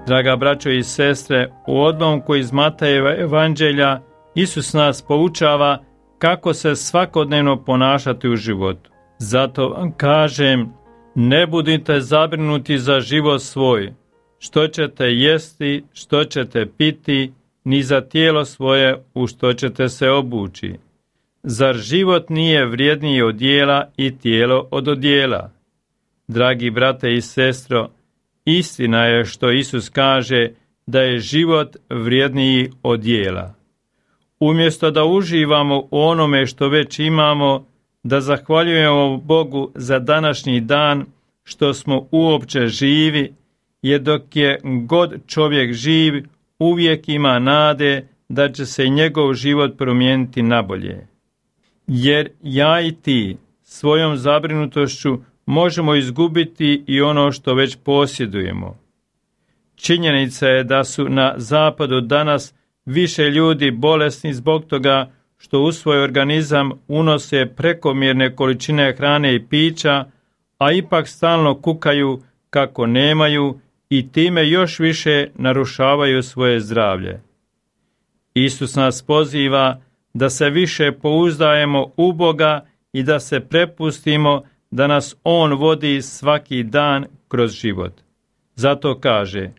Draga braćo i sestre, u odlomku iz Matejeva evanđelja Isus nas poučava kako se svakodnevno ponašati u životu. Zato vam kažem, ne budite zabrinuti za život svoj, što ćete jesti, što ćete piti, ni za tijelo svoje u što ćete se obući. Zar život nije vrijedniji od jela i tijelo od odjela? Dragi brate i sestro, istina je što Isus kaže da je život vrijedniji od jela. Umjesto da uživamo u onome što već imamo, da zahvaljujemo Bogu za današnji dan što smo uopće živi, jer dok je god čovjek živ, uvijek ima nade da će se njegov život promijeniti nabolje. Jer ja i ti svojom zabrinutošću možemo izgubiti i ono što već posjedujemo. Činjenica je da su na zapadu danas više ljudi bolesni zbog toga što u svoj organizam unose prekomjerne količine hrane i pića, a ipak stalno kukaju kako nemaju i time još više narušavaju svoje zdravlje. Isus nas poziva da se više pouzdajemo u Boga i da se prepustimo da nas On vodi svaki dan kroz život. Zato kaže,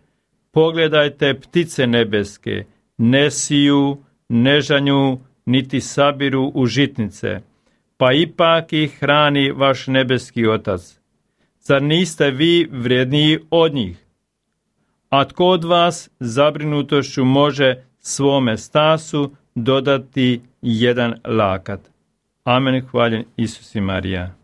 pogledajte ptice nebeske, ne siju, ne žanju, niti sabiru u žitnice, pa ipak ih hrani vaš nebeski Otac. Zar niste vi vrijedniji od njih? A tko od vas zabrinutošću može svome stasu dodati jedan lakat? Amen, hvaljen Isus i Marija.